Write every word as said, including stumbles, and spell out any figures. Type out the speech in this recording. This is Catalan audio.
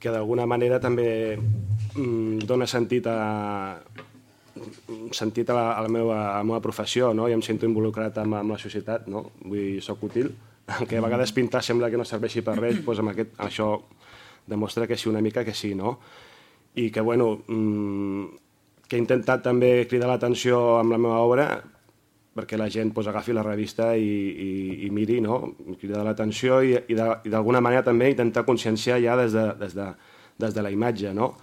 que d'alguna manera també dona sentit a, sentit a, la, a, la meva, a la meva professió, no? I em sento involucrat amb, amb la societat, no? Vull dir, soc útil, que a vegades pintar sembla que no serveixi per res, doncs amb aquest, això demostra que sí, una mica que sí, no? I que, bueno, que he intentat també cridar l'atenció amb la meva obra perquè la gent pues, agafi la revista i, i, i miri, no? Cridar l'atenció i, i d'alguna manera també intentar conscienciar ja des de, des de, des de la imatge, no?